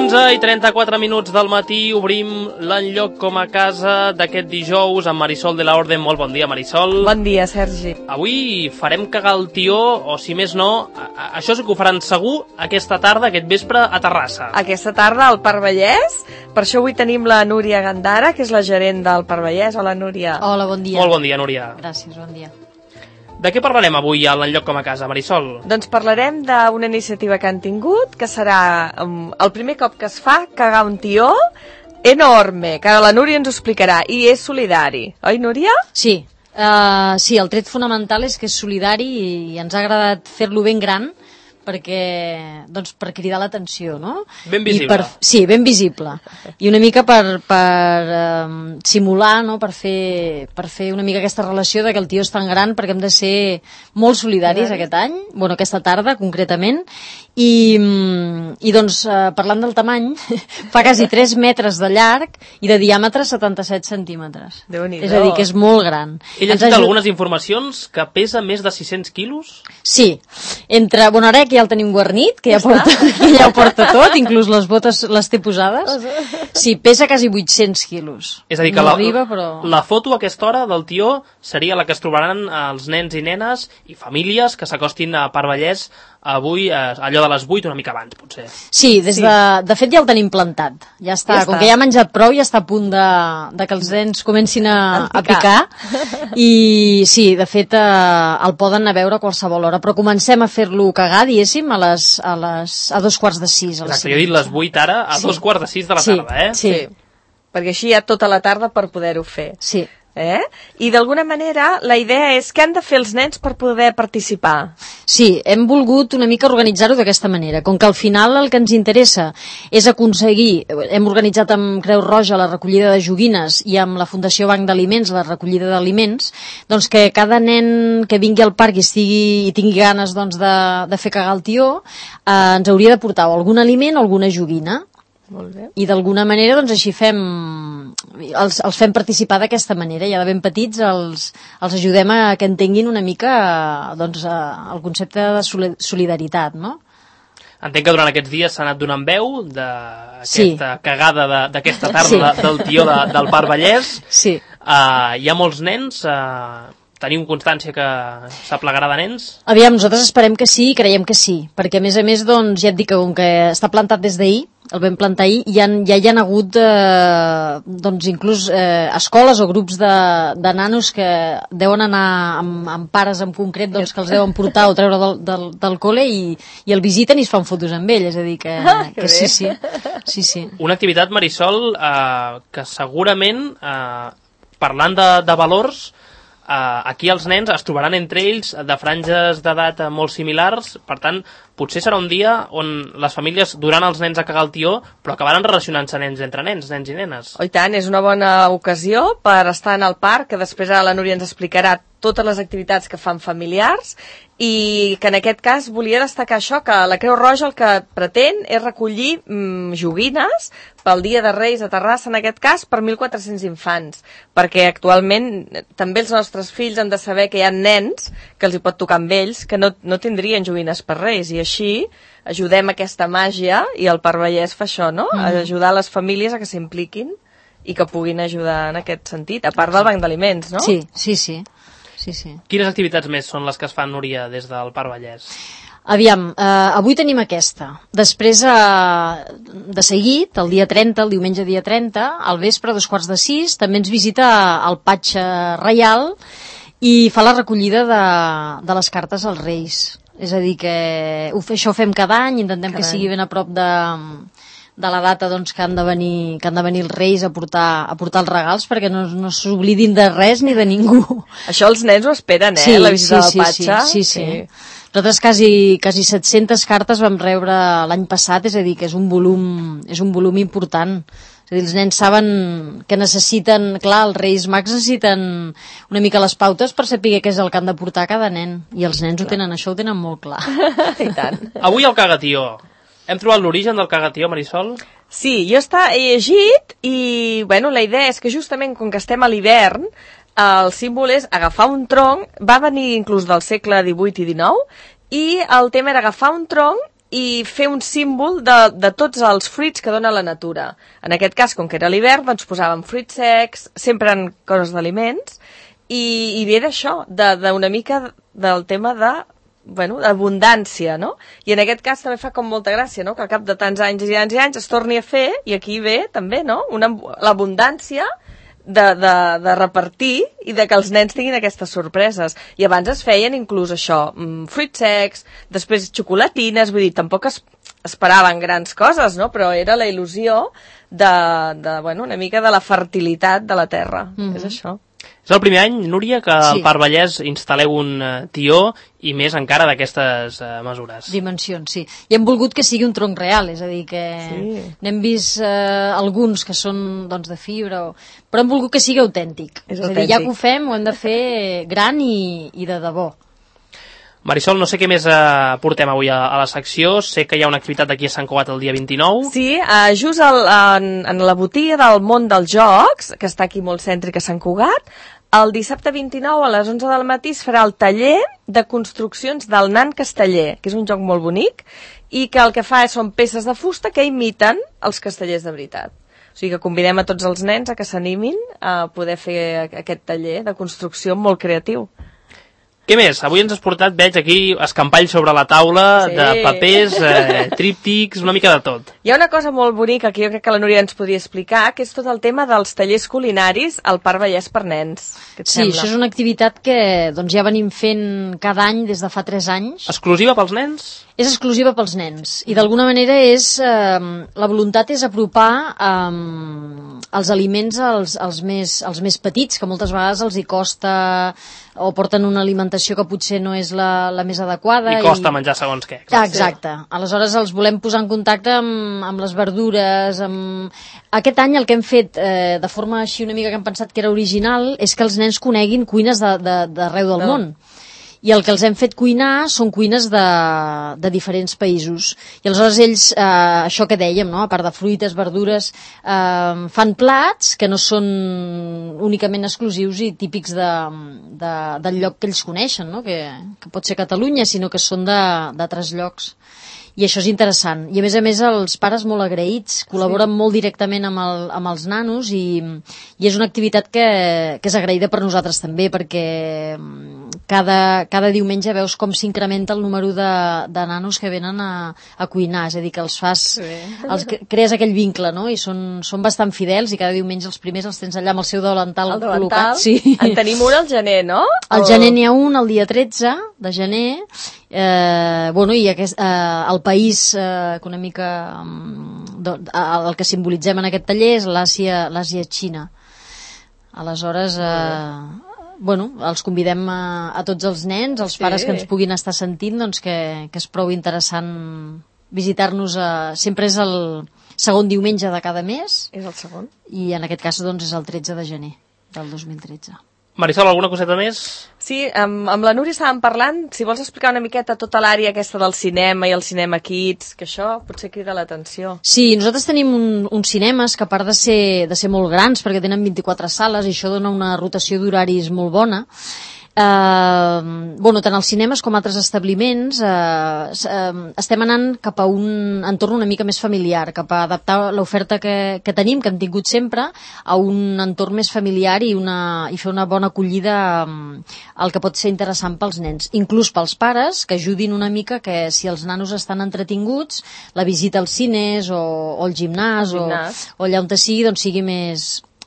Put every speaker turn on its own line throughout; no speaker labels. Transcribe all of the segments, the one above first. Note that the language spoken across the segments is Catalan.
11:34 del matí, obrim l'enlloc com a casa d'aquest dijous amb Marisol de la Orden. Molt bon dia, Marisol.
Bon dia, Sergi.
Avui farem cagar el tió, o si més no, això sí que ho faran segur aquesta tarda, aquest vespre, a Terrassa.
Aquesta tarda al Parc Vallès. Per això avui tenim la Núria Gandara, que és la gerent del Parc Vallès. Hola, Núria.
Hola, bon dia.
Molt bon dia, Núria.
Gràcies, bon dia.
De què parlarem avui a l'enlloc com a casa, Marisol?
Doncs parlarem d'una iniciativa que han tingut, que serà el primer cop que es fa cagar un tió enorme, que ara la Núria ens ho explicarà, i és solidari. Oi, Núria?
Sí, sí, el tret fonamental és que és solidari i ens ha agradat fer-lo ben gran perquè, doncs, per cridar l'atenció, no?
Ben visible.
Sí, ben visible. I una mica per simular, no? Per fer una mica aquesta relació de que el tió és tan gran, perquè hem de ser molt solidaris aquest any, bueno, aquesta tarda concretament, i doncs, parlant del tamany, fa quasi 3 metres de llarg i de diàmetre 77 centímetres.
Déu-n'hi-do.
És a dir, que és molt gran.
He llegit algunes informacions que pesa més de 600 quilos?
Sí, bueno, ara que ja el tenim guarnit, que ja ho porta tot, inclús les botes les té posades. Sí, pesa quasi 800 quilos.
És a dir, que
no arriba, però...
la foto a aquesta hora del tió seria la que es trobaran els nens i nenes i famílies que s'acostin a Parc Vallès avui, allò de les 8, una mica abans, potser.
Sí, de fet ja el tenim plantat. Ja està, com que ja ha menjat prou, ja està a punt de que els nens comencin a picar. I sí, de fet, el poden anar a veure a qualsevol hora. Però comencem a fer-lo cagar, diguéssim, a 2:45.
Exacte, jo he dit les 8 ara, a 2:45 de la tarda, eh?
Sí, perquè així hi ha tota la tarda per poder-ho fer.
Sí.
I d'alguna manera la idea és què han de fer els nens per poder participar.
Sí, hem volgut una mica organitzar-ho d'aquesta manera. Com que al final el que ens interessa és aconseguir, hem organitzat amb Creu Roja la recollida de joguines i amb la Fundació Banc d'Aliments la recollida d'aliments, doncs que cada nen que vingui al parc i tingui ganes doncs, de fer cagar el tió ens hauria de portar o algun aliment o alguna joguina.
Molt bé.
I d'alguna manera doncs així els fem participar d'aquesta manera, ja de ben petits els ajudem a que entenguin una mica doncs, el concepte de solidaritat, no?
Entenc que durant aquests dies s'ha anat donant veu d'aquesta cagada d'aquesta tarda del tió del Parc Vallès.
Sí.
Hi ha molts nens, tenim constància que s'aplegarà de nens?
Aviam, nosaltres esperem que sí i creiem que sí, perquè a més, doncs, ja et dic que com que està plantat des d'ahir, el vam plantar ahir, ja hi ha hagut doncs inclús escoles o grups de nanos que deuen anar amb pares en concret doncs, que els deuen portar o treure del col·le i el visiten i es fan fotos amb ell, és a dir que sí.
Una activitat, Marisol, que segurament parlant de valors, aquí els nens es trobaran entre ells de franges d'edat molt similars, per tant, potser serà un dia on les famílies duran els nens a cagar el tió, però acabaran relacionant-se nens entre nens i nenes.
Oh, i tant, és una bona ocasió per estar en el parc, que després la Núria ens explicarà totes les activitats que fan familiars, i que en aquest cas volia destacar això, que la Creu Roja el que pretén és recollir joguines pel Dia de Reis a Terrassa, en aquest cas, per 1.400 infants, perquè actualment també els nostres fills han de saber que hi ha nens que els hi pot tocar amb ells, que no tindrien joguines per Reis, i així ajudem aquesta màgia, i el Parc Vallès fa això, no? Ajudar les famílies a que s'impliquin i que puguin ajudar en aquest sentit, a part del banc d'aliments, no?
Sí.
Quines activitats més són les que es fan, Núria, des del Parc Vallès?
Aviam, avui tenim aquesta. Després, de seguit, el dia 30, el diumenge dia 30, al vespre, a 5:45, també ens visita el Patge Reial i fa la recollida de les cartes als Reis. És a dir, que això ho fem cada any, intentem que sigui ben a prop de la data doncs, que han de venir els Reis a portar els regals, perquè no s'oblidin de res ni de ningú.
Això els nens ho esperen, la visita del Patge.
Sí. Nosaltres quasi 700 cartes vam rebre l'any passat, és a dir, que és un volum important. És a dir, els nens saben que necessiten, clar, els Reis Mags necessiten una mica les pautes per saber què és el que han de portar cada nen, i els nens això ho tenen molt clar.
I tant.
Avui el cagatió. Hem trobat l'origen del cagatió, Marisol?
Sí, jo he llegit i, bueno, la idea és que justament com que estem a l'hivern, el símbol és agafar un tronc, va venir inclús del segle XVIII i XIX, i el tema era agafar un tronc i fer un símbol de tots els fruits que dona la natura. En aquest cas, com que era l'hivern, doncs posàvem fruits secs, sempre en coses d'aliments, i ve d'això, d'una mica del tema d'abundància, no? I en aquest cas també fa com molta gràcia, no? Que al cap de tants anys i anys i anys es torni a fer, i aquí ve també, no? L'abundància de repartir i de que els nens tinguin aquestes sorpreses. I abans es feien inclús això, fruits secs, després xocolatines, vull dir, tampoc esperaven grans coses, no? Però era la il·lusió una mica de la fertilitat de la terra. És això.
És el primer any, Núria, que al Parc Vallès instal·leu un tió i més encara d'aquestes mesures.
Dimensions, sí. I hem volgut que sigui un tronc real, és a dir, que n'hem vist alguns que són doncs, de fibra, però hem volgut que sigui autèntic. És a dir, ja que ho fem, ho hem de fer gran i de debò.
Marisol, no sé què més portem avui a la secció. Sé que hi ha una activitat aquí a Sant Cugat el dia 29.
Sí, just en la botiga del món dels jocs, que està aquí molt cèntric a Sant Cugat, el dissabte 29 a les 11 del matí es farà el taller de construccions del nan casteller, que és un joc molt bonic, i que el que fa són peces de fusta que imiten els castellers de veritat. O sigui que convidem a tots els nens a que s'animin a poder fer aquest taller de construcció molt creatiu.
Què més? Avui ens has portat, veig aquí, escampalls sobre la taula, de papers, tríptics, una mica de tot.
Hi ha una cosa molt bonica que jo crec que la Núria ens podia explicar, que és tot el tema dels tallers culinaris al Parc Vallès per nens.
Sí, això és una activitat que doncs, ja venim fent cada any des de fa 3 anys.
Exclusiva pels nens?
És exclusiva pels nens i d'alguna manera la voluntat és apropar els aliments als més petits, que moltes vegades els hi costa o porten una alimentació que potser no és la més adequada.
I costa menjar segons què.
Exacte. Aleshores els volem posar en contacte amb les verdures. Aquest any el que hem fet de forma així una mica que hem pensat que era original és que els nens coneguin cuines d'arreu del món. I el que els hem fet cuinar són cuines de diferents països. I aleshores ells, això que dèiem, no? A part de fruites, verdures, fan plats que no són únicament exclusius i típics del lloc que ells coneixen, no? Que pot ser Catalunya, sinó que són d'altres llocs. I això és interessant. I a més els pares molt agraïts, col·laboren molt directament amb els nanos i és una activitat que és agraïda per nosaltres també, perquè cada diumenge veus com s'incrementa el número de nanos que venen a cuinar, és a dir, que crees aquell vincle, no? I són bastant fidels i cada diumenge els primers els tens allà amb el seu davantal col·locat. Sí.
En tenim un al gener, no?
Al gener n'hi ha un, el dia 13 de gener, i el país que una mica el que simbolitzem en aquest taller és l'Àsia-Xina. Aleshores els convidem a tots els nens, els pares que ens puguin estar sentint, doncs que és prou interessant visitar-nos. Sempre és el segon diumenge de cada mes.
És el segon.
I en aquest cas doncs és el 13 de gener del 2013.
Marisol, alguna coseta més?
Sí, amb la Núria estàvem parlant, si vols explicar una miqueta tota l'àrea aquesta del cinema i el cinema Kids, que això potser crida l'atenció.
Sí, nosaltres tenim uns cinemes que a part de ser molt grans, perquè tenen 24 sales i això dona una rotació d'horaris molt bona, tant als cinemes com a altres establiments estem anant cap a un entorn una mica més familiar, cap a adaptar l'oferta que tenim, que hem tingut sempre, a un entorn més familiar i fer una bona acollida al que pot ser interessant pels nens, inclús pels pares, que ajudin una mica que si els nanos estan entretinguts, la visita als cines o al gimnàs o allà on sigui, doncs sigui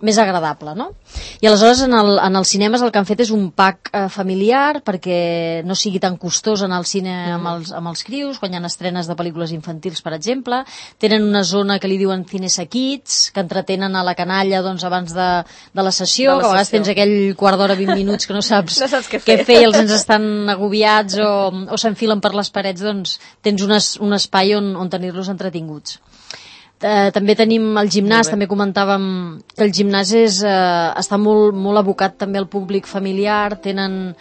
més agradable, no? I aleshores en els cinemes el que han fet és un pack familiar perquè no sigui tan costós anar al cine amb els crios, quan hi ha estrenes de pel·lícules infantils, per exemple. Tenen una zona que li diuen Cinesa Kids, que entretenen a la canalla abans de la sessió, que a vegades tens aquell quart d'hora, 20 minuts que no saps què fer i els nens estan agobiats o s'enfilen per les parets, doncs tens un espai on tenir-los entretinguts. També tenim el gimnàs, també comentàvem que el gimnàs està molt, molt abocat també al públic familiar, tenen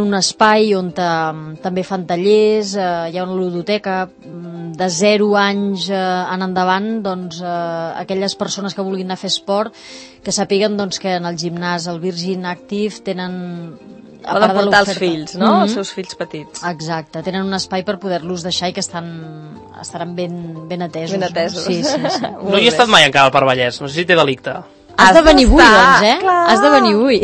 un espai on també fan tallers, hi ha una ludoteca de 0 anys en endavant, doncs aquelles persones que vulguin anar a fer esport que sàpiguen doncs, que en el gimnàs, el Virgin Active, tenen
Poden portar els fills, no? Els seus fills petits.
Exacte, tenen un espai per poder-los deixar i que estaran ben atesos.
Ben atesos.
Sí.
No hi he estat mai encara al Parc Vallès, no sé si té delicte.
Has de venir avui, doncs,
clar.
Has de venir avui.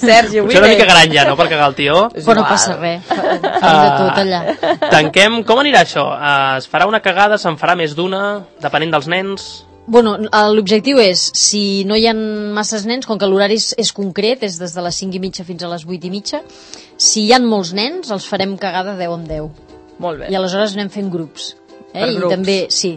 Sergi, avui
Potser una mica gran ja, no?, per cagar el tió.
Però no passa res, fem de tot allà.
Tanquem, com anirà això? Es farà una cagada, se'n farà més d'una, depenent dels nens?
Bueno, l'objectiu és, si no hi ha masses nens, com que l'horari és concret, és des de les 5:30 fins a les 8:30, si hi ha molts nens, els farem cagada 10 en 10.
Molt bé.
I aleshores anem fent grups.
Per
I
grups.
també, sí.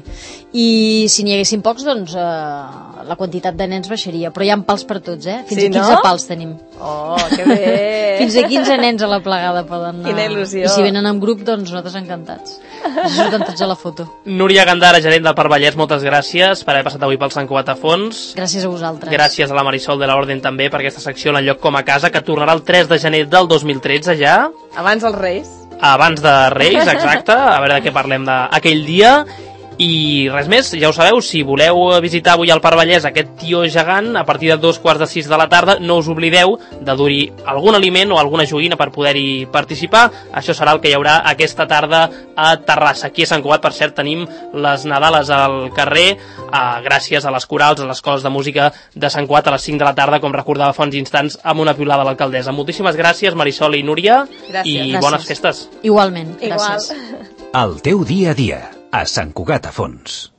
I si n'hi haguessin pocs, doncs la quantitat de nens baixaria. Però hi ha pals per tots, Fins
Sí,
a 15
no?
pals tenim.
Oh, que bé.
Fins a 15 nens a la plegada poden anar.
Quina il·lusió.
I si venen en grup, doncs nosaltres encantats. Ens surten tots a la foto.
Núria Gandara, gerent del Parc Vallès, moltes gràcies per haver passat avui pel Sant Cugat a fons.
Gràcies a vosaltres.
Gràcies a la Marisol de l'Orden també per aquesta secció en lloc com a casa, que tornarà el 3 de gener del 2013 ja.
Abans els Reis.
Abans de Reis, exacte, a veure de què parlem d'aquell dia. I res més, ja ho sabeu, si voleu visitar avui al Parc Vallès aquest tió gegant, a partir de 2:45 de la tarda, no us oblideu de dur-hi algun aliment o alguna joguina per poder-hi participar. Això serà el que hi haurà aquesta tarda a Terrassa. Aquí a Sant Cugat, per cert, tenim les Nadales al carrer, gràcies a les corals, a les escoles de música de Sant Cugat a les 5 de la tarda, com recordava fa uns instants, amb una piulada a l'alcaldessa. Moltíssimes gràcies, Marisol i Núria, i
Gràcies.
bones festes.
Igualment,
Igual.
gràcies.
El teu dia a dia, a Sant Cugat a Fons.